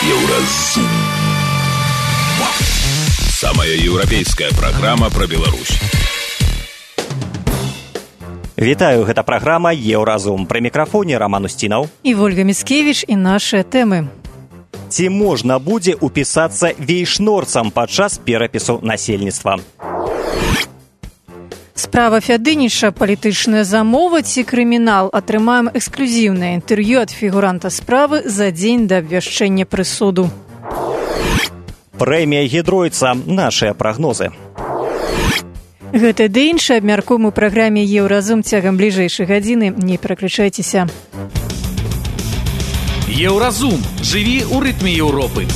Еўразум. Самая еўрапейская праграма пра Беларусь. Вітаю, гэта праграма «Еўразум». Пры мікрафоне Роман Устінаў і Вольга Міцкевіч і нашыя тэмы. Ці можна будзе упісацца вейшнорцам падчас перапісу насельніцтва? Справа Фядыніча, палітычная замова ці крымінал? Атрымаем эксклюзіўнае інтэрв'ю ад фігуранта справы за дзень да абвяшчэння прысуду. Прэмія Гідройца. Нашыя прагнозы. Гэта ды іншае абмяркуем у праграме «Еўразум» цягам бліжэйшай гадзіны. Не пераключайцеся. Еўразум. Жыві ў рытме Еўропы.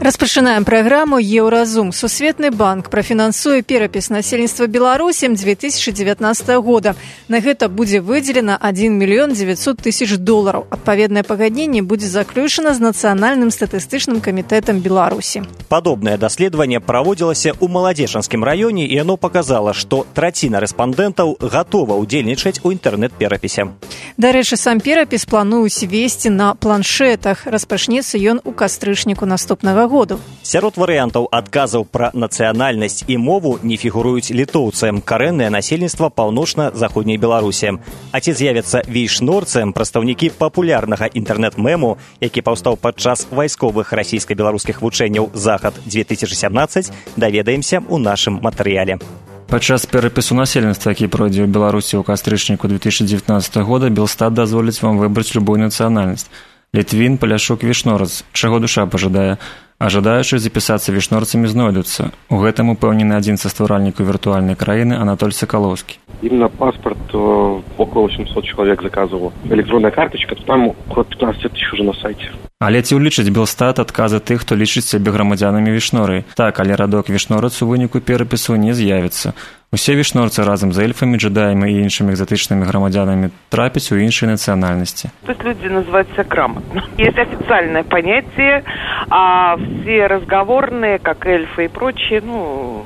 Распачынаем праграму «Еўразум». Сусветны банк прафінансуе перапіс насельніцтва Беларусі 2019 года. На гэта будзе выдзелена $1 900 000. Адпаведнае пагадненне будзе заключана з Нацыянальным статыстычным камітэтам Беларусі. Падобнае даследаванне праводзілася ў Маладзечанскім раёне, і яно паказала, што траціна рэспандэнтаў гатова ўдзельнічаць у інтэрнэт-перапісе. Дарэчы, сам перапіс плануюць весці на планшетах. Распачнецца ён у кастрычніку наступнага года. Сярод варыянтаў адказаў пра нацыянальнасць і мову не фігуруюць літоўцы, карэннае насельніцтва паўночна-заходняй Беларусі. А ці з'явяцца вейшнорцы, прадстаўнікі папулярнага інтэрнэт-мэму, які паўстаў падчас вайсковых расійска-беларускіх вучэнняў «Захад-2017», даведаемся ў нашым матэрыяле. Падчас перапісу насельніцтва, які пройдзе ў Беларусі ў кастрычніку 2019 года, Белстат дазволіць вам выбраць любую нацыянальнасць. Літвін, паляшук, вейшнорац. Чаго душа пажадае. А жадаючыя запісацца вейшнорцамі знойдуцца. У гэтым упэўнены адзін са стваральнікаў віртуальнай краіны Анатоль Сакаловскі. Именно паспорт около 800 человек заказывало. Электронная карточка, там около 15 000 уже на сайте. Але ці ўлічыць Белстат адказы тых, хто лічыць сябе грамадзянамі вейшноры? Так, але радок вейшнорац у выніку перапісу не з'явіцца. Усе вейшнорцы разам з эльфамі, джедаямі і іншымі экзотычнымі грамадзянамі трапяць у іншай нацыянальнасці. То есть люди называются грамотно. Есть официальное понятие, а все разговорные, как эльфы и прочие,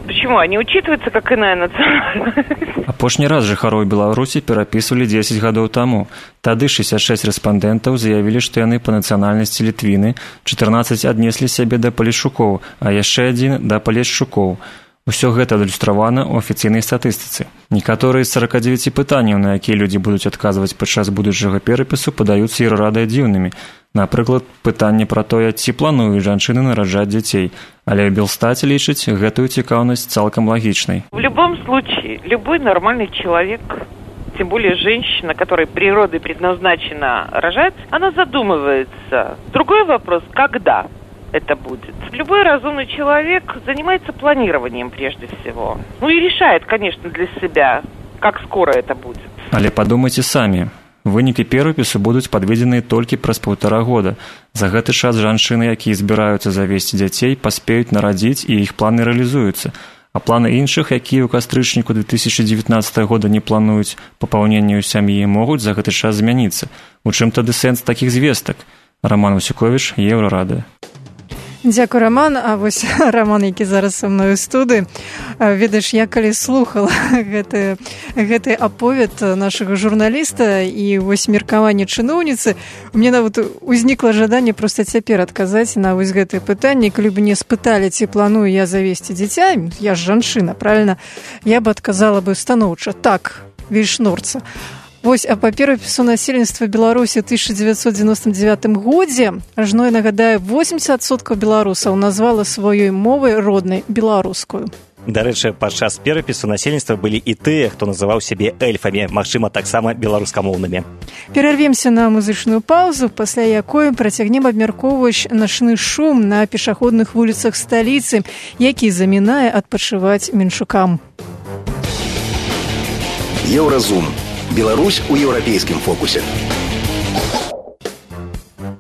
почему? Они учитываются как иная национальность. Апошні раз жыхароў Беларусі перапісвалі 10 гадоў таму. Тады 66 рэспандэнтаў заявілі, што яны па нацыянальнасці літвіны, 14 аднеслі сябе да палешчукоў, а яшчэ адзін да палешчукоў. Усё гэта адлюстравана ў афіцыйнай статыстыцы. Некаторыя з 49 пытанняў, на якія людзі будуць адказваць падчас будучага перапісу, падаюцца ірадай дзіўнымі. Напрыклад, пытанне пра тое, ці плануюць жанчыны нараджаць дзяцей. Але ў Белстаце лічыць гэтую цікаўнасць цалкам лагічнай. В любом случае, любой нормальный человек, тем более женщина, которой природой предназначена рожать, она задумывается. Другой вопрос, когда это будет. Любой разумный человек занимается планированием прежде всего. И решает, конечно, для себя, как скоро это будет. Але падумайце самі. Вынікі перапісу будуць падведзеныя толькі праз 1,5 года. За гэты час жанчыны, якія збіраюцца завесці дзяцей, паспеюць нарадзіць, і іх планы рэалізуюцца. А планы іншых, якія ў кастрычніку 2019 года не плануюць папаўненню сям'і, могуць за гэты час змяніцца. У чым тады сэнс такіх звестак? Роман Васюковіч, Еўрарадыё. Дзякуй, Роман. А вось Роман, які зараз са мною ў студыі, ведаеш, я калі слухала гэты аповед нашага журналіста і вось меркаванне чыноўніцы, у мяне нават узнікла жаданне проста цяпер адказаць на вось гэтае пытанне. Калі б мне спыталі, ці планую я завесці дзіця, я ж жанчына, правильно, я б адказала бы станоўча: так, вейшнорца. Вось, а па перапісу насельніцтва Беларусі ў 1999 годзе, ажно, я нагадаю, 80% беларусаў назвала сваёй мовай роднай беларускую. Дарэчы, падчас перапісу насельніцтва былі і тыя, хто называў сябе эльфамі, магчыма, таксама беларускамоўнымі. Перарвемся на музычную паузу, пасля якой працягнем абмяркоўваць начны шум на пешаходных вуліцах сталіцы, які замінае адпачываць менчукам. Еўразум. Беларусь у еўрапейскім фокусе.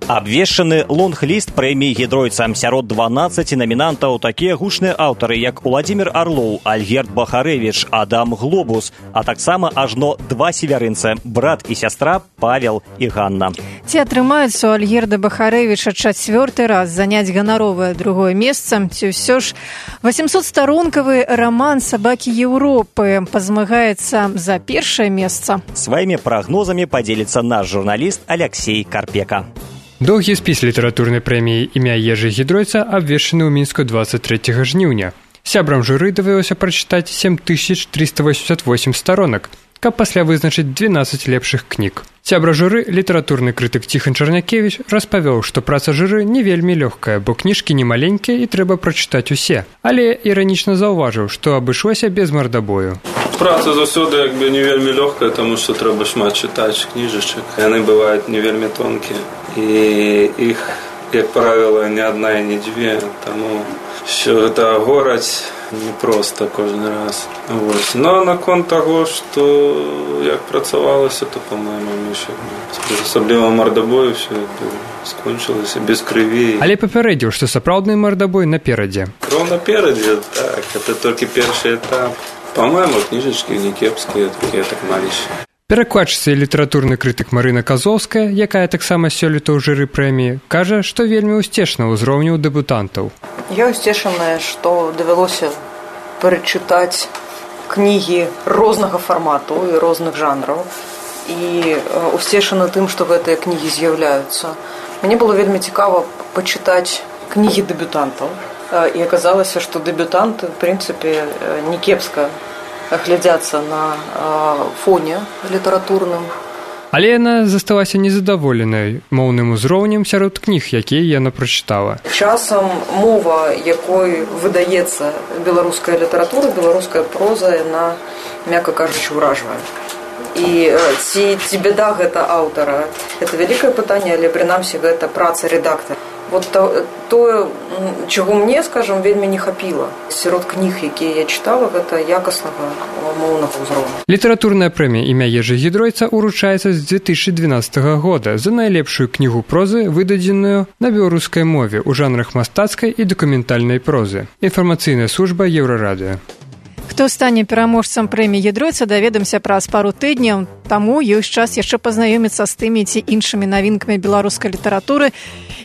Абвешчаны лонг-ліст прэміі Гідройца. Сярод 12 номінантаў такія гучныя аўтары, як Уладзімір Арлоў, Альгерд Бахарэвіч, Адам Глобус, а таксама ажно 2 севярынцы, брат і сястра Павел і Ганна. Ці атрымаецца у Альгерда Бахарэвіча 4-й раз заняць ганаровае 2-е месца, ці ўсё ж 800-старонкавы раман «Сабакі Еўропы» пазмагаецца за 1-е месца. Сваімі прагнозамі падзеліцца наш журналіст Алексей Карпека. Доўгі спіс літаратурнай прэміі імя Ежы Гідройца абвешчаны ў Мінску 23 жніўня. Сябрам журы давялося прачытаць 7388 сторонак, каб пасля вызначыць 12 лепшых кніг. Сябра журы, літаратурны крытык Ціхан Чарнякевіч, распавёў, што праца журы не вельмі лёгкая, бо кніжкі не маленькія і трэба прачытаць усе. Але іранічна заўважыў, што абышлося без мардабою. Праца заўсёды не вельмі лёгкая, таму што трэба шмат чытаць кніжачак. Яны бываюць не вельмі тонкія. І іх, як правіла, не адна і не дзве, таму що гэта гораць непросто кожны раз. Вось. Но наконт таго, што як працавалася, то, по-моему, асабліва мардабою все скончылася без крыві. Але папярэдзіў, што сапраўдны мардабой наперадзе. Кроў наперадзе, так, это толькі першы этап. По-моему, кніжачкі не кепскія, такія так малейшыя. Перакладчыца і літаратурны крытык Марына Казоўская, якая таксама сёлета ў журы прэміі, кажа, што вельмі ўсцешна ўзроўню дэбютантаў. Я ўсцешаная, што давялося перачытаць кнігі рознага фармату і розных жанраў. І ўсцешана тым, што гэтыя кнігі з'яўляюцца. Мне было вельмі цікава пачытаць кнігі дэбютантаў. І аказалася, што дэбютанты, в прынцыпе, не кепска глядзяцца на фоне літаратурным. Але яна засталася незадаволенай моўным узроўнем сярод кніг, якія яна прачытала. Часам мова, якой выдаецца беларуская літаратура, беларуская проза, яна, мякка кажучы, ўражвае. І ці бяда гэта аўтара? Гэта вялікае пытанне, але прынамсі гэта праца рэдактара. Вот тое, чаго мне, скажам, вельмі не хапіла. Сярод кніг, якія я чытала, гэта якаснага моўнага ўзроўня. Літаратурная прэмія імя Ежы Гідройца ўручаецца з 2012 года за найлепшую кнігу прозы, выдадзеную на беларускай мове ў жанрах мастацкай і дакументальнай прозы. Інфармацыйная служба Еўрарадыё. Хто стане пераможцам прэміі Гідройца, даведаемся праз пару тыдняў. Таму ёсць час яшчэ пазнаёміцца з тымі ці іншымі навінкамі беларускай літаратуры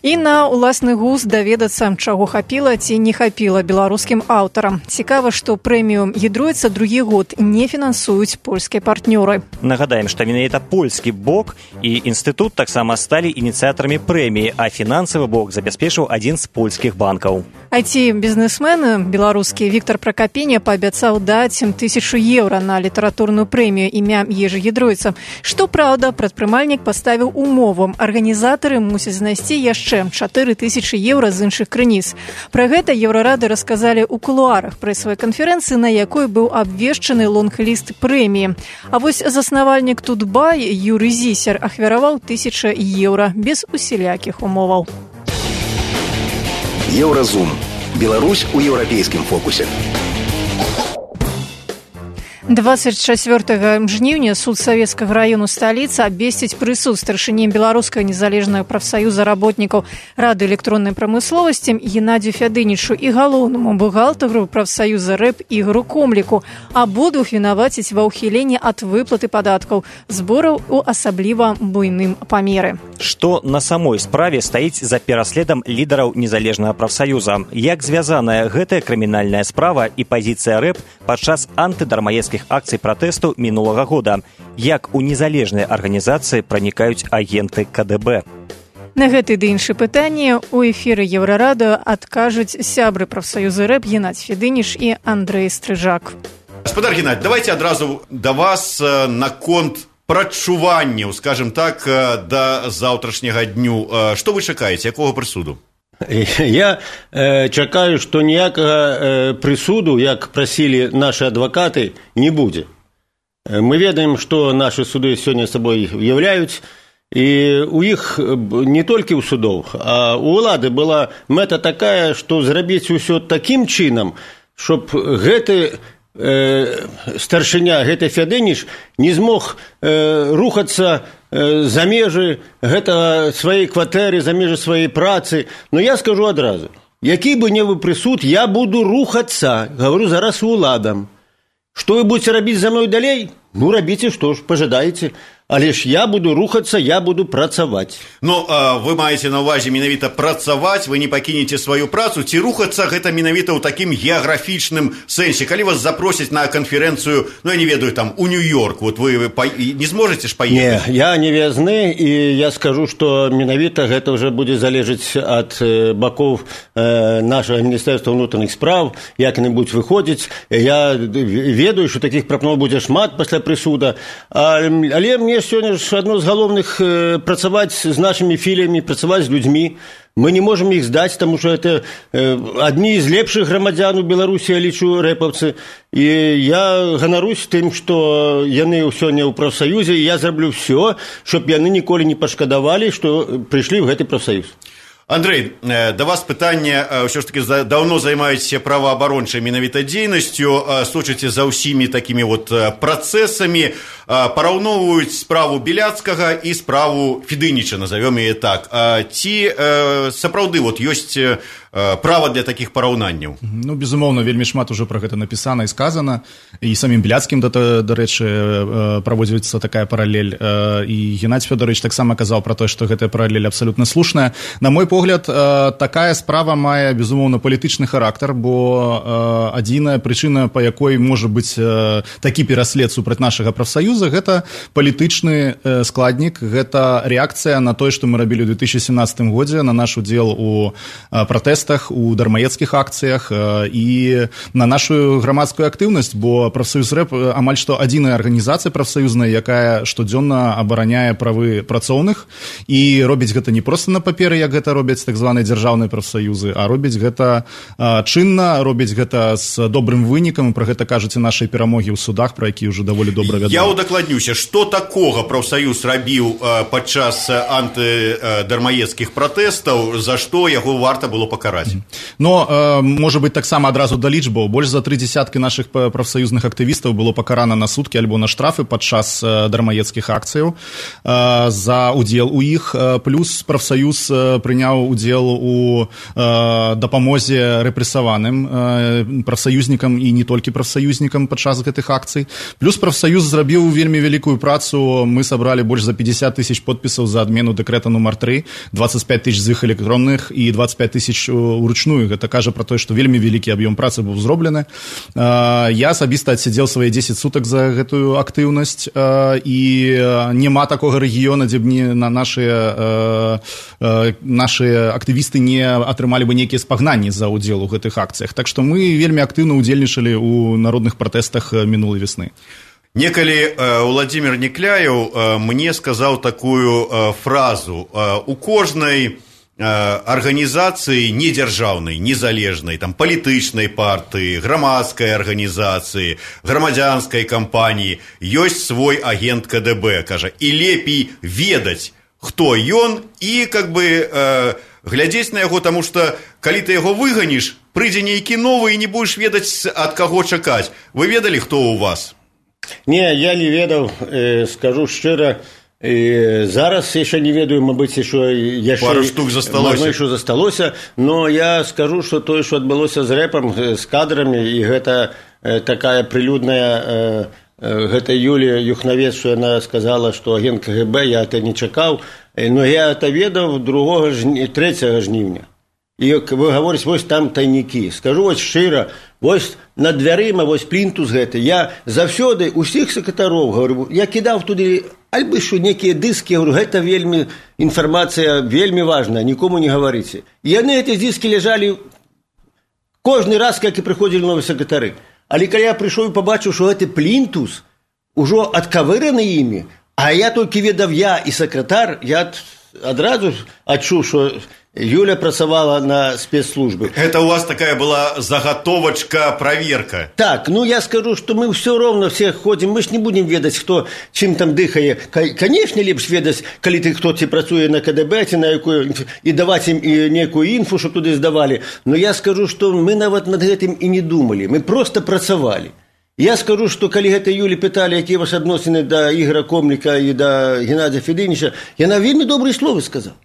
і на ўласны густ даведацца, чаго хапіла ці не хапіла беларускім аўтарам. Цікава, што прэмію Гідройца другі год не фінансуюць польскія партнёры. Нагадаем, што менавіта польскі бок і інстытут таксама сталі ініцыятарамі прэміі, а фінансавы бок забяспечыў адзін з польскіх банкаў. IT-бізнесмен беларускі Віктор Пракапеня паабяцаў даць 1000 еўра на літаратурную прэмію імя Ежы Гідройца. Што праўда, прадпрымальнік паставіў умову. Арганізатары мусяць знайсці яшчэ 4000 еўра з іншых крыніц. Пра гэта Еўрарады расказалі ў кулуарах прэсавай канферэнцыі, на якой быў абвешчаны лонг-ліст прэміі. А вось заснавальнік Тутбай Юрый Зісер ахвяраваў 1000 еўра без усялякіх умоваў. Еўразум. Беларусь у еўрапейскім фокусе. 24 жніўня суд савецкага раёну сталіцы абвесціць прысуд старшыні беларускага незалежнага прафсаюза работнікаў рады электроннай прамысловасці Геннадзію Фядынічу і галоўнаму бухгалтару прафсаюза рэп Ігору Комліку. Абодвух вінаваціць ва ўхіленні ад выплаты падаткаў, збораў у асабліва буйным памеры. Што на самой справе стаіць за пераследам лідараў незалежнага прафсаюза? Як звязаная гэтая крымінальная справа і пазіцыя рэп падчас антыдармаедскіх акцый пратэсту мінулага года? Як у незалежныя арганізацыі пранікаюць агенты КДБ? На гэты ды іншы пытанні у эфіры Еўрарадыё адкажуць сябры прафсаюза рэп Геннадзь Фядыніч і Андрэй Стрыжак. Гаспадар Геннадзь, давайте адразу да вас наконт прачуванняў, скажем так, да заўтрашняга дню. Што вы чакаеце, якога прысуду? Я чакаю, што ніякага прысуду, як прасілі нашы адвакаты, не будзе. Мы ведаем, што нашы суды сёння сабой уяўляюць, і у іх не толькі ў судоў, а у ўлады была мэта такая, што зрабіць усё такім чынам, щоб гэты старшыня, гэты Фядыніч не змог рухацца за межы гэтага сваёй кватэры, за межы сваёй працы. Но я скажу адразу, які бы не вы прысуд, я буду рухацца, говорю зараз уладам. Што вы будете рабіць за мной далей? Ну, рабіце, што ж, пажадаеце. Але ж я буду рухацца, я буду працаваць. Ну, вы маеце на ўвазе менавіта працаваць, вы не пакінеце сваю працу, ці рухацца гэта менавіта ў такім геаграфічным сэнсе? Калі вас запросяць на канферэнцыю, ну, я не ведаю, там, у Нью-Йорк, вот вы не зможаце ж паехаць? Не, я не вязны, і я скажу, што менавіта гэта ўжо будзе залежыць ад бакоў нашага Міністэрства ўнутраных спраў, як яны будуць выходзіць. Я ведаю, што такіх прапаноў будзе шмат пасля прысуда, але мне сёння ж адно з галоўных працаваць з нашымі філіямі, працаваць з людзьмі. Мы не можам іх здаць, таму што гэта адні з лепшых грамадзян у Беларусі, я лічу, рэпаўцы. І я ганарусь тым, што яны сёння ў прафсаюзе, і я зраблю ўсё, щоб яны ніколі не пашкадавалі, што прыйшлі ў гэты прафсаюз. Андрэй, да вас пытанне, ўсё ж таки даўно займаецеся праваабарончай менавіта дзейнасцю, сочыце за ўсімі такімі вот працэсамі, параўноўваюць справу Беляцкага і справу Федыніча, назовём яе так. Ці сапраўды вот ёсць права для такіх параўнанняў? Ну, безумоўна, вельмі шмат ужо пра гэта напісана і сказана, і самім Беляцкім, дарэчы, праводзіцца такая паралель, і Геннадзь Фёдорович таксама казаў пра тое, што гэтая паралель абсалютна слушная. На мой погляд, такая справа мае, безумоўна, палітычны характар, бо адзіная прычына, па якой можа быць такі пераслед супраць нашага прафсаюза, гэта палітычны складнік, гэта рэакцыя на тое, што мы рабілі ў 2017 годзе, на наш удзел у пратэстах, у дармаедскіх акцыях і на нашу грамадскую актыўнасць, бо прафсаюз рэп амаль што адзіная арганізацыя прафсаюзная, якая штодзённа абараняе правы працоўных і робіць гэта не проста на паперы, як гэта робяць так званыя дзяржаўныя прафсаюзы, а робіць гэта чынна, робіць гэта з добрым вынікам, і пра гэта кажуць і нашыя перамогі ў судах, пра якія ўжо даволі добра вядома. Я удакладнюся, што такога прафсаюз рабіў падчас антыдармаедскіх пратэстаў, за што яго варта было пакараць? Но, можа быць, таксама адразу да лічбаў. Больш за 30 нашых прафсаюзных актывістаў было пакарана на суткі альбо на штрафы падчас дармаедскіх акцыяў за удзел у іх. Плюс прафсаюз прыняў удзел у дапамозе рэпрэсаваным прафсаюзнікам і не толькі прафсаюзнікам падчас гэтых акцый. Плюс прафсаюз зрабіў вельмі вялікую працу. Мы сабралі больш за 50 тысяч подпісаў за адмену дэкрэта нумар 3, 25 тысяч з іх электронных і 25 тысяч уручную. Гэта кажа пра тое, што вельмі вялікі аб'ём працы быў зроблены. Я асабіста адсядзеў свае 10 сутак за гэтую актыўнасць, і няма такога рэгіёна, дзе б не нашыя актывісты не атрымалі бы нейкія спагнанні за ўдзел у гэтых акцыях. Так што мы вельмі актыўна ўдзельнічалі ў народных пратэстах мінулай весны. Некалі Владзімір Некляеў мне сказаў такую фразу: у кожнай арганізацыі недзяржаўнай, незалежнай, там, палітычнай партыі, грамадскай арганізацыі, грамадзянскай кампаніі ёсць свой агент КДБ, кажа, і лепей ведаць, хто ён, і как бы глядзець на яго, таму што калі ты яго выганіш, прыйдзе нейкі новы і не будзеш ведаць, ад каго чакаць. Вы ведалі, хто ў вас? Не, я не ведаў, скажу шчыра. І зараз яшчэ не ведаю, мабыць, яшчэ пару штук засталося, но я скажу, што тое, што адбылося з рэпам, з кадрамі, і гэта такая прылюдная, гэта Юлія Юхнавец, што яна сказала, што агент КГБ, я это не чакаў, но я это ведаў 3 жніўня. І вы гаворыць, вось там тайнікі. Скажу вось шчыра, вось над дзвярыма, вось плінтус гэты. Я заўсёды усіх сакратароў говорю, я кідаў туды альбо што некія дыскі, говорю, гэта вельмі інфармацыя вельмі важная, нікому не гаварыце. І яны эти дыскі ляжалі кожны раз, як і прыходзілі новыя сакратары. Але калі я прыйшоў і пабачыў, што гэты плінтус ужо адкавыраны імі, а я толькі ведаў я і сакратар, я адразу адчуў, што Юля працавала на спецслужбы. Это у вас такая была заготовочка, проверка? Так, ну я скажу, что мы все равно все ходим, мы ж не будем ведать, кто чим там дыхае. Конечно, лепш ведать, коли ты кто-то працуе на КДБ, на якую, и давать им некую инфу, чтобы туда сдавали. Но я скажу, что мы нават над этим и не думали, мы просто працавали. Я скажу, что калі гэта Юлі пыталі, якія ваши адносіны да Ігора Комліка і да Геннадзя Федыніча, яна вельмі добрыя словы сказала.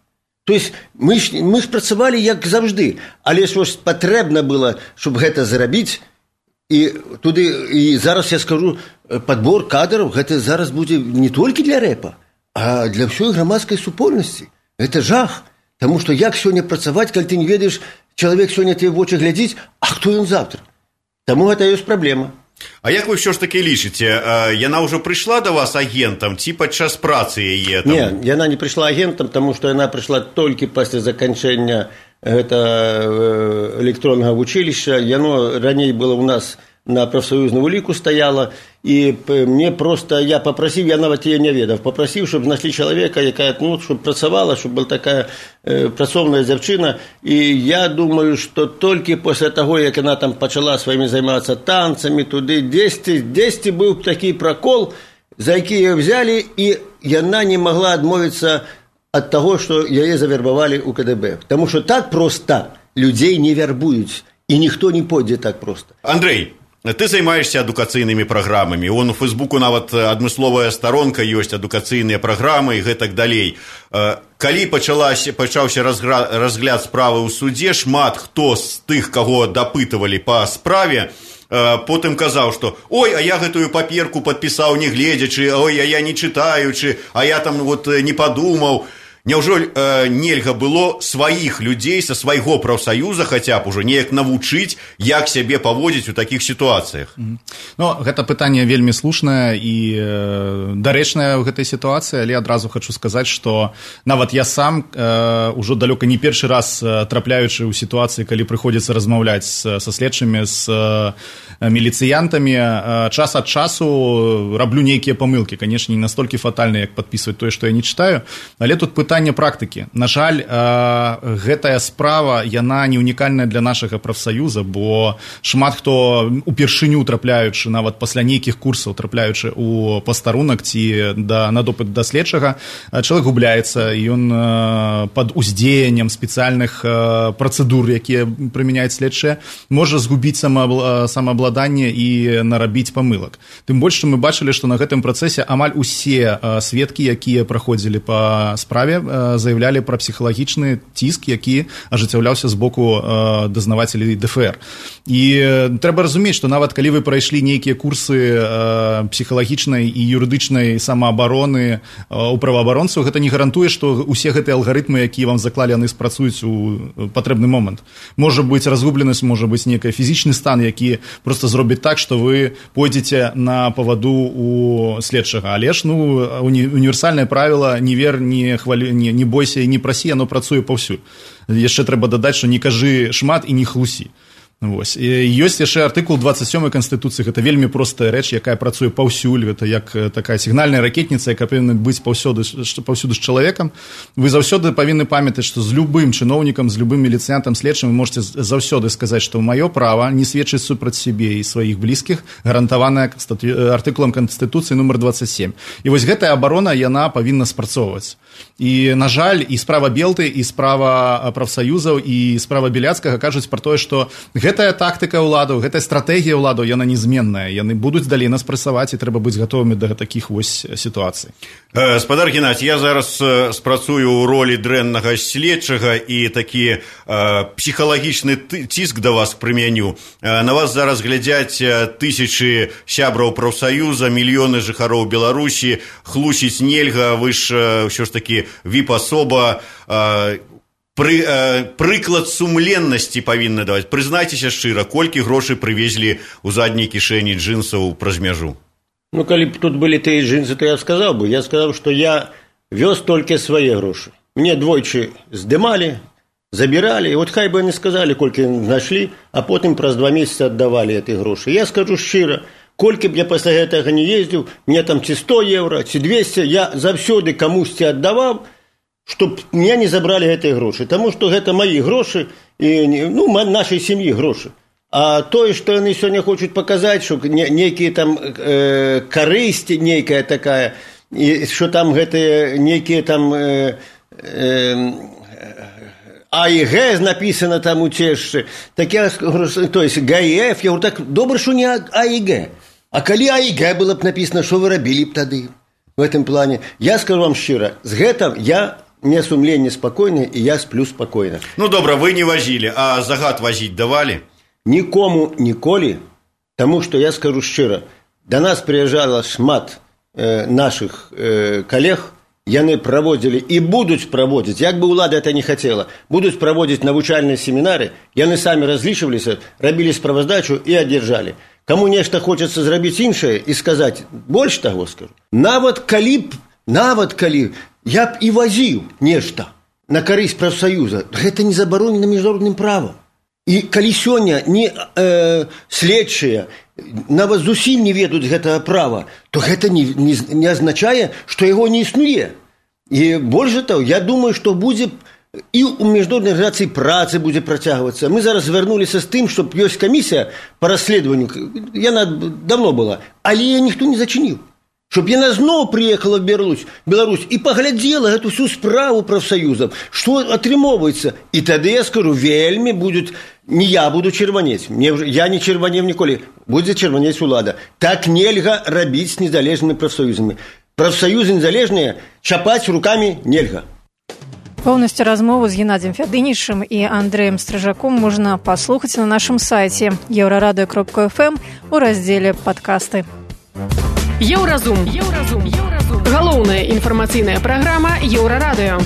То есть мы ж працавалі як заўжды, але ж патрэбна было, чтобы гэта зрабіць, І зараз я скажу, падбор кадраў гэта зараз будзе не толькі для рэпа, а для ўсёй грамадскай супольнасці. Гэта жах. Таму што як сёння працаваць, калі ты не ведаеш, чалавек сёння тебе в вочы глядзіць, а хто ён завтра? Таму гэта ёсць праблема. А як вы ўсё ж такі лічыце, яна ўжо прыйшла да вас агентам ці падчас працы яе? Не, яна не прыйшла агентам, таму што яна прыйшла толькі пасля заканчэння электроннага вучылішча. Яно раней было ў нас на профсоюзную улику стояла, и мне просто, я попросил, я нават ее не ведав, попросил, чтобы нашли человека, якая, чтобы працавала, чтобы была такая працовная дзяўчына, и я думаю, что только после того, как она там почала своими заниматься танцами, туды, 10 был такой прокол, за які ее взяли, и она не могла отмовиться от того, что ее завербовали у КДБ. Потому что так просто людей не вербуют, и никто не пойдзе так просто. Андрей, ты займаешься адукацыйнымі праграмамі. У Фейсбуку нават адмысловая старонка ёсць, адукацыйныя праграмы і гэтак далей. Калі пачаўся разгляд справы ў судзе, шмат хто з тых, каго дапытывалі па справе, потым казаў, што ой, а я гэтую паперку падпісаў не гледзячы, ой, а я не чытаючы, а я там не падумаў. Няўжо нельга было сваіх людзей са свайго прафсаюза хаця б ужо неяк навучыць, як сябе паводзіць у такіх сітуацыях? Ну, гэта пытанне вельмі слушнае і дарэчнае ў гэтай сітуацыі, але адразу хочу сказаць, што нават я сам ужо далёка не першы раз трапляючы ў сітуацыі, калі прыходзіцца размаўляць са следчымі, з міліцыянтамі, час ад часу раблю нейкія памылкі, канешне, не настолькі фатальныя, як падпісваць тое, што я не чытаю, але тут пытанне практыкі. На жаль, гэтая справа, яна не унікальная для нашага прафсаюза, бо шмат хто упершыню трапляючы, нават пасля нейкіх курсаў трапляючы ў пастарунак ці на допыт да следчага, чалавек губляецца, ён пад уздзеяннем спецыяльных працэдур, якія прымяняюць следчыя, можа згубіць самаабладанне і нарабіць памылак. Тым больш, што мы бачылі, што на гэтым працэсе амаль усе сведкі, якія праходзілі па справе, заявлялі пра псіхалагічны ціск, які ажыццяўляўся з боку дазнавацелей ДФР. І трэба разумець, што нават калі вы прайшлі нейкія курсы псіхалагічнай і юрыдычнай самаабароны у праваабаронцаў, гэта не гарантуе, што усе гэтыя алгарытмы, якія вам заклалі, яны спрацуюць у патрэбны момант. Можа быць разгубленасць, можа быць нейкі фізічны стан, які просто зробіць так, што вы пойдзеце на паваду у следчага. Але ж, універсальнае правіла не вер, не бойся і не прасі, яно працуе паўсюль. Яшчэ трэба дадаць, што не кажы шмат і не хлусі. Ёсць яшчэ артыкул 27 Канстытуцыі, гэта вельмі простая рэч, якая працуе паўсюль, гэта як такая сігнальная ракетніца, якая павінна быць паўсюды з чалавекам. Вы заўсёды павінны памятаць, што з любым чыноўнікам, з любым міліцыянтам, следчым вы можете заўсёды сказаць, што маё права не сведчыць супраць сябе і сваіх блізкіх, гарантаваная артыкулам Канстытуцыі нумар 27. І вось гэтая абарона, яна павінна спрацоўваць. І, на жаль, і справа Белты, і справа прафсаюзаў, і справа Беляцкага кажуць пра тое, што гэтая тактыка ўладаў, гэтая стратэгія ўладаў, яна незменная. Яны будуць далей нас прэсаваць, і трэба быць гатовымі да такіх вось сітуацый. Спадар Геннадзь, я зараз спрацую ў ролі дрэннага следчага і такі псіхалагічны ціск да вас прымяню. На вас зараз глядзяць тысячы сябраў прафсаюза, мільёны жыхароў Беларусі, хлусіць нельга, вы ж ўсё ж такі віп-асоба, прыклад сумленнасці павінны даваць. Прызнайцеся шчыра, колькі грошай прывезлі ў задняй кішэні джинсаў праз мяжу? Калі б тут былі тыя джинсы, то я сказаў бы. Я сказаў, што я вёз толькі свае грошы. Мне двойчы здымалі, забіралі, і от хай бы яны сказалі, колькі знайшлі, а потым праз 2 месяцы аддавалі эти грошы. Я скажу шчыра, колькі б я пасля гэтага не ездзіў, мне там ці 100 еўра, ці 200, я заўсёды камусьці аддаваў, чтобы меня не забрали гэтыя грошы. Таму што гэта мои грошы, і, нашай сям'і грошы. А тое, што яны сёння хочуць паказаць, што нейкія там карысці, нейкая такая, і што там гэтыя нейкія там А і Г написано там у цешчы, такія, то есть ГФ, я говорю, так добра, што не А і Г. А калі А і Г было б написано, што вы рабілі б тады в этом плане? Я скажу вам шчыра, з гэтым мне сумленне спакойнае, і я сплю спакойна. Добра, вы не вазілі, а загад вазіць давалі? Нікому ніколі Таму што я скажу шчыра, да нас прыязджала шмат нашых калег, яны праводзілі і будуць праводзіць, як бы ўлада это не хацела, будуць праводзіць навучальныя семінары, яны самі разлічваліся, рабілі справаздачу і адзяржалі. Каму нешта хочацца зрабіць іншае і сказаць, больш таго скажу, нават калі я б і вазіў нешта на карысць прафсаюза, гэта не забаронена міжнародным правам. І калі сёння следчыя нават зусім не ведаюць гэтага права, то гэта не азначае, што яго не існуе. І больш за таго, я думаю, што будзе і ў міжнароднай арганізацыі працы будзе працягвацца. Мы зараз звярнуліся з тым, што ёсць камісія па расследаванню, яна давно была, але яе ніхто не зачыніў. Щоб яна зноў прыехала в Беларусь і паглядзела гэту всю справу прафсаюзаў, што атрымоўваецца. І тады, я скажу, вельмі будуць, не я буду чырванець, я не чырванеў ніколі, будзе чырванець улада. Так нельга рабіць з незалежнымі прафсаюзамі. Прафсаюзы незалежныя чапаць рукамі нельга. Полностью размову з Геннадием Фядынічым і Андреем Стрыжаком можна паслухаць на нашым сайце euradio.fm у раздзеле «Падкасты». Еўразум. Галоўная інфармацыйная праграма Еўрарадыё.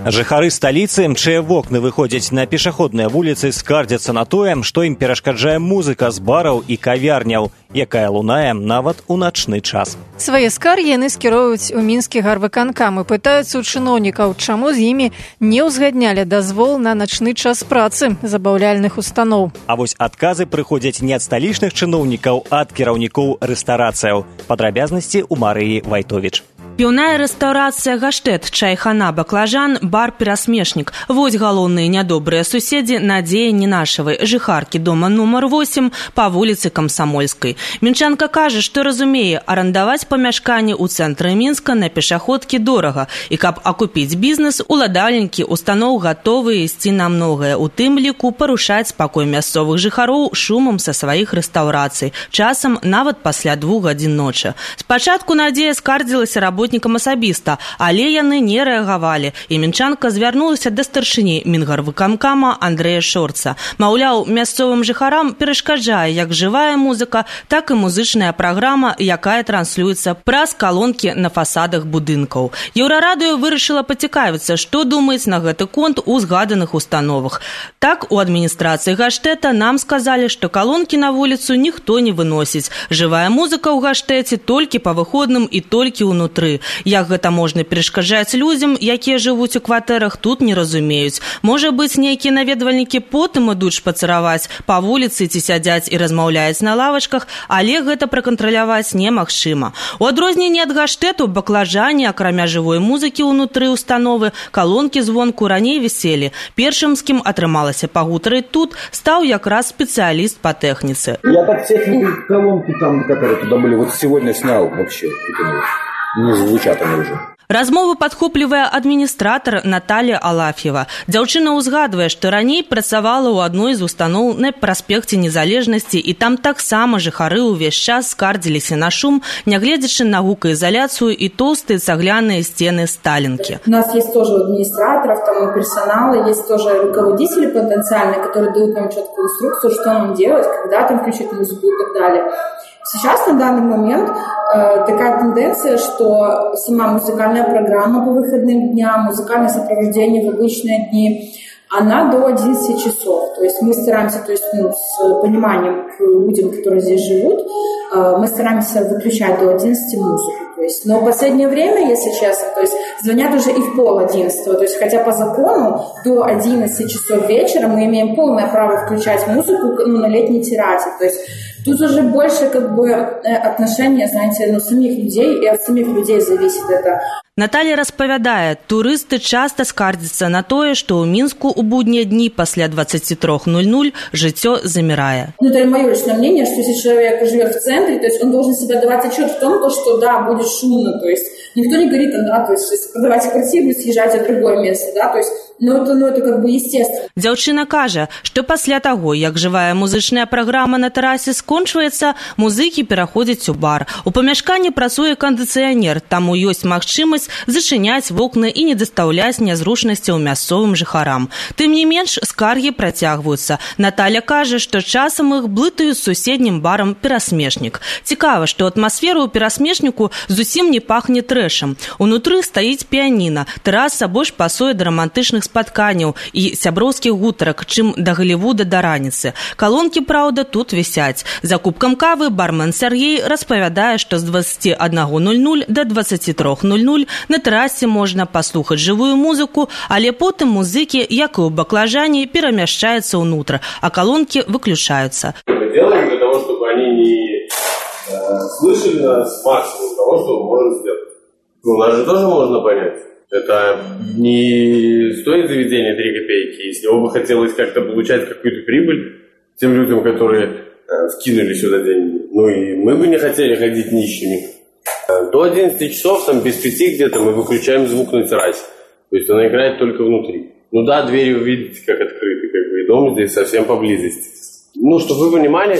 Жыхары сталіцы, чые вокны выходзяць на пешаходныя вуліцы, скардзяцца на тое, што ім перашкаджае музыка з бараў і кавярняў, якая лунае нават у начны час. Свае скаргі яны скіроўваюць у мінскі гарвыканкам і пытаюцца ў чыноўнікаў, чаму з імі не ўзгаднялі дазвол на начны час працы забаўляльных устаноў. А вось адказы прыходзяць не ад сталічных чыноўнікаў, а ад кіраўнікоў рэстарацыяў. Падрабязнасці ў Марыі Вайтовіч. Піўная рэстаўрацыя «Гаштет», чайхана, баклажан, бар «Перасмешнік». Вось галоўныя нядобрыя суседзі на дзеянні нашавай жыхаркі дома нумар 8 па вуліцы Камсамольскай. Мінчанка кажа, што разумее, арандаваць памяшканне ў цэнтры Мінска на пешаходкі дорага. І каб акупіць бізнес, уладальнікі устаноў гатовыя ісці на многае, у тым ліку парушаць спакой мясцовых жыхароў шумам са сваіх рэстаўрацый, часам нават пасля 2 гадзін ночы. Спачатку Надзея скардзілася работнікам асабіста, але яны не рэагавалі, і мінчанка звярнулася да старшыні мінгарвыканкама Андрэя Шорца. Маўляў, мясцовым жыхарам перашкаджае як жывая музыка, так і музычная праграма, якая транслюецца праз калонкі на фасадах будынкаў. Еўрарадыё вырашыла пацікавіцца, што думаюць на гэты конт у згаданых установах. Так, у адміністрацыі Гаштета нам сказалі, што калонкі на вуліцу ніхто не выносіць. Жывая музыка ў Гаштеце толькі па выходным і толькі ўнутры. Як гэта можна перашкаджаць людзям, якія жывуць у кватэрах, тут не разумеюць. Можа быць, нейкія наведвальнікі потым ідуць шпацыраваць па вуліцы ці сядзяць і размаўляюць на лавачках, але гэта пракантраляваць немагчыма. У адрозненні ад Гаштэту, баклажане, акрамя жывой музыкі ўнутры установы, калонкі звонку раней віселі. Першым, з кім атрымалася пагутарыць тут, стаў якраз спецыяліст па тэхніцы. Я так технику колонки там, которые туда были, вот сегодня снял вообще. Не звучат они уже. Размову падхоплівае адміністратар Наталія Алаф'ева. Дзяўчына ўзгадвае, што раней працавала ў адной з устаноў на праспекце Незалежнасці, і там таксама жыхары ўвесь час скардзіліся на шум, нягледзячы на гукаізаляцыю і тоўстыя цагляныя сцены сталінкі. У нас есть тоже администраторов, там и персонала, есть тоже руководители потенциальные, которые дают нам четкую инструкцию, что нам делать, когда там включить музыку и так далее. Сейчас, на данный момент, такая тенденция, что сама музыкальная программа по выходным дням, музыкальное сопровождение в обычные дни, она до 11 часов. То есть мы стараемся, с пониманием к людям, которые здесь живут, мы стараемся выключать до 11 музыку. Но в последнее время, если честно, звонят уже и в 10:30. То есть, хотя по закону до 11 часов вечера мы имеем полное право включать музыку на летней террасе. То есть тут уже больше отношения, знаете, самих людей, и от самих людей зависит это. Наталья распавядае, турысты часта скардзяцца на тое, што ў Мінску ў буднія дні пасля 23:00 жыццё замірае. Это мое личное мнение, что если человек живет в центре, то есть он должен себе давать отчет в том, что да, будет шумно, то есть никто не говорит, то есть продавайте квартиру, съезжайте в другое место, да, то есть, это естественно. Дзяўчына кажа, што пасля таго, як жывая музычная праграма на тэрасе скончваецца, музыкі пераходзяць у бар. У памяшканні працуе кандыцыянер, таму ёсць магчымасць зачыняць вокны і не дастаўляць нязручнасцяў мясцовым жыхарам. Тым не менш, скаргі працягваюцца. Наталя кажа, што часам іх блытаюць з суседнім барам «Перасмешнік». Цікава, што атмасфера ў «Перасмешніку» зусім не пахне трэшам. Унутры стаіць піяніна, тэраса больш пасуе да рамантычных спатканняў і сяброўскіх гутарак, чым да Голлівуда да раніцы. Калонкі, праўда, тут вісяць. За кубкам кавы бармен Сергей распавядае, што з 21:00 до 23:00 на тэрасе можна паслухаць жывую музыку, але потым музыкі, як і ў баклажане, перамяшчаюцца ўнутр, а калонкі выключаюцца. Мы делаем для того, чтобы они не слышали нас максимум того, что мы можем сделать. Нас же тоже можно понять. Это не стоит заведения 3 копейки. Если бы хотелось как-то получать какую-то прибыль тем людям, которые вкинули сюда деньги, и мы бы не хотели ходить нищими. До 11 часов, без 5 где-то, мы выключаем звук на террасе. То есть она играет только внутри. Двери вы видите, как открыты, и дом здесь совсем поблизости. Чтобы вы понимали,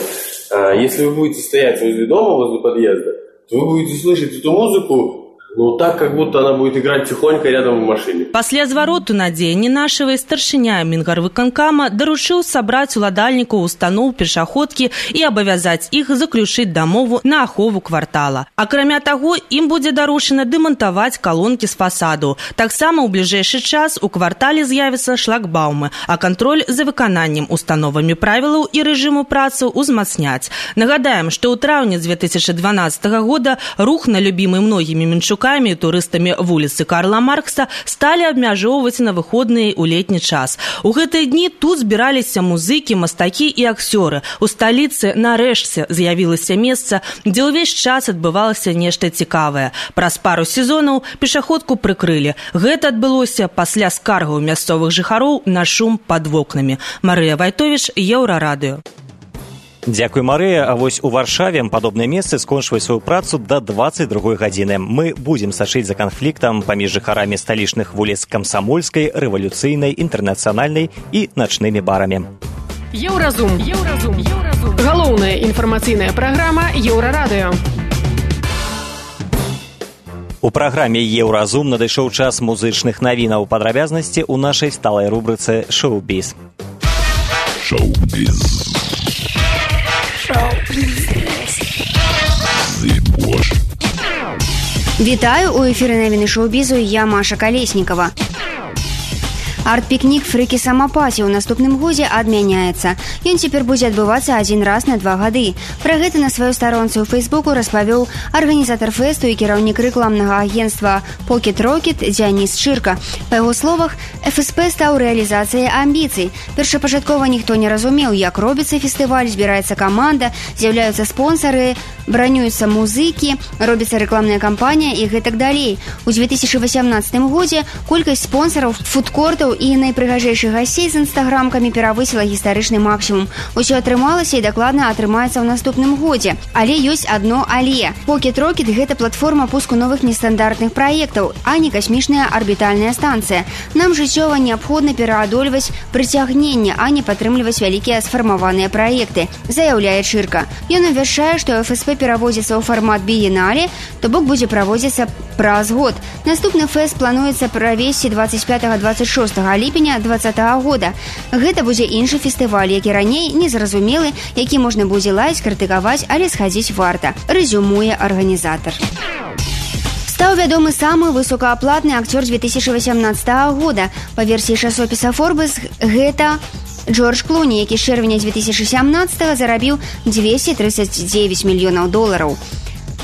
если вы будете стоять возле дома, возле подъезда, то вы будете слышать эту музыку, так, как будто она будет играть тихонько рядом в машине. Пасля звароту на дзень нашавай старшыня Мінгарвыканкама даручыў сабраць уладальнікаў устаноў пешаходкі і абавязаць іх заключыць дамову на ахову квартала. Акрамя таго, ім будзе даручана дэмантаваць калонкі з фасаду. Таксама ў бліжэйшы час у квартале з'явяцца шлагбаумы, а кантроль за выкананнем установамі правілаў і рэжыму працы ўзмацняць. Нагадаем, што ў траўні 2012 года рух на любімы многімі менчукамі і турыстамі вуліцы Карла Маркса сталі абмяжоўваць на выходныя ў летні час. У гэтыя дні тут збіраліся музыкі, мастакі і акцёры. У сталіцы нарэшце з'явілася месца, дзе ўвесь час адбывалася нешта цікавае. Праз пару сезонаў пешаходку прыкрылі. Гэта адбылося пасля скаргаў мясцовых жыхароў на шум пад вокнамі. Марыя Вайтовіч, Еўрарадыё. Дзякуй, Марыя. А вось у Варшаве падобныя месцы скончваюць сваю працу да 22 гадзіны. Мы будзем сачыць за канфліктам паміж жыхарамі сталічных вуліц Камсамольскай, Рэвалюцыйнай, Інтэрнацыянальнай і начнымі барамі. Еўразум. Галоўная інфармацыйная праграма Еўрарадыё. У праграме «Еўразум» надышоў час музычных навінаў. Падрабязнасці ў нашай сталай рубрыцы «Шоу-біз». Шоу-біз. Вітаю, у эфіры навіны шоу-бізу, я Маша Калеснікова. Арт-пікнік «Фрыкі самапаці» ў наступным годзе адмяняецца. Ён цяпер будзе адбывацца адзін раз на 2 гады. Пра гэта на сваёй старонцы ў Фейсбуку распавёў арганізатар фэсту і кіраўнік рэкламнага агенцтва «Pocket Rocket» Дзяніс Чырка. Па яго словах, ФСП стаў рэалізацыяй амбіцый. Першапачаткова ніхто не разумеў, як робіцца фестываль, збіраецца каманда, з'яўляюцца спонсары, бранююцца музыкі, робіцца рэкламная кампанія і гэтак далей. У 2018 годзе колькасць спонсараў, фудкортаў і найпрыгажэйшых гасцей з інстаграмкамі перавысіла гістарычны максімум. Усё атрымалася і дакладна атрымаецца ў наступным годзе. Але ёсць адно але. Pocket Rocket – гэта платформа пуску новых нестандартных праектаў, а не касмічная арбітальная станцыя. Нам жыццёва неабходна пераадольваць прыцягненне, а не падтрымліваць вялікія сфармаваныя праекты, заяўляе Чырка. Ён абвяшчае, што ФСП пераводзіцца ў фармат біеннале, то бок будзе праводзіцца праз год. Наступны фэст плануецца правесці 25-26 ліпеня 2020 года. Гэта будзе іншы фестываль, які раней незразумелы, які можна будзе лаяць, крытыкаваць, але схадзіць варта, рэзюмуе арганізатар. Стаў вядомы самы высокааплатны акцёр 2018 года. Па версіі часопіса Forbes, гэта Джордж Клуні, які з чэрвеня 2017 зарабіў $239 мільёнаў.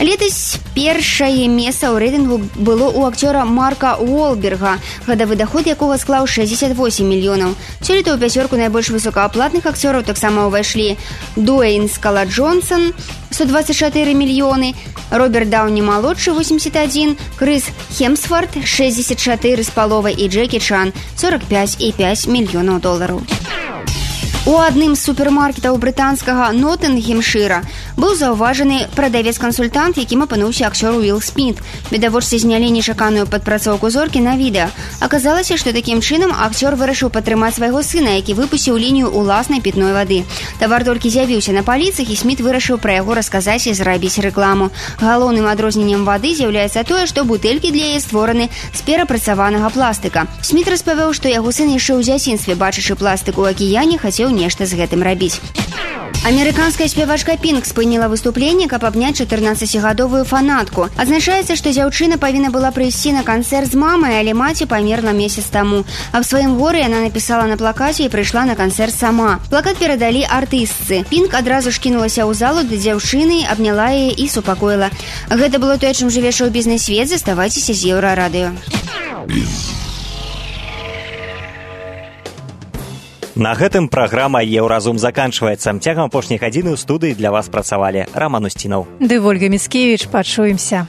Летась першае месца ў рэйтынгу было ў акцёра Марка Уолберга, гадавы даход якога склаў 68 мільёнаў. Сёлета ў пяцёрку найбольш высокааплатных акцёраў таксама ўвайшлі Дуэйн Скала Джонсон, 124 мільёны, Роберт Даўні-малодшы, 81, Крыс Хемсворт, 64,5 і Джекі Чан, $45,5 мільёнаў. У адным з супермаркетаў брытанскага Ноттынгемшыра быў заўважаны прадавец-кансультант, якім апынуўся акцёр Уилл Смит. Відавочцы знялі нечаканую падпрацоўку зоркі на відэа. Аказалася, што такім чынам акцёр вырашыў падтрымаць свайго сына, які выпусціў лінію ўласнай пітной вады. Тавар толькі з'явіўся на паліцах, і Смит вырашыў пра яго расказаць і зрабіць рэкламу. Галоўным адрозненнем вады з'яўляецца тое, што бутэлькі для яе створаны з перапрацаванага пластыка. Смит распавёў, што яго сын яшчэ ў дзяцінстве, бачачы пластык у акіяне, хацеў нешта з гэтым рабіць. Амерыканская спявачка Пінк спыніла выступленне, каб абняць 14-гадовую фанатку. Адзначаецца, што дзяўчына павінна была прыйсці на канцэрт з мамай, але маці памерла месяц таму. Аб сваім горы яна напісала на плакаце і прыйшла на канцэрт сама. Плакат перадалі артыстцы. Пінк адразу ж кінулася ў залу да дзяўчыны, абняла яе і супакоіла. Гэта было тое, чым жыве шоу-бізнес-свет. Заставайцеся з Еўрарадыё. На гэтым праграма «Еўразум» заканчваецца. Цягам апошняй гадзіны ў студыі для вас працавалі Раман Устінаў. Ды Вольга Міцкевіч. Пачуемся.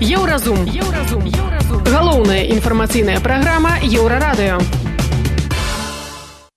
Еўразум. Галоўная інфармацыйная праграма Еўрарадыё.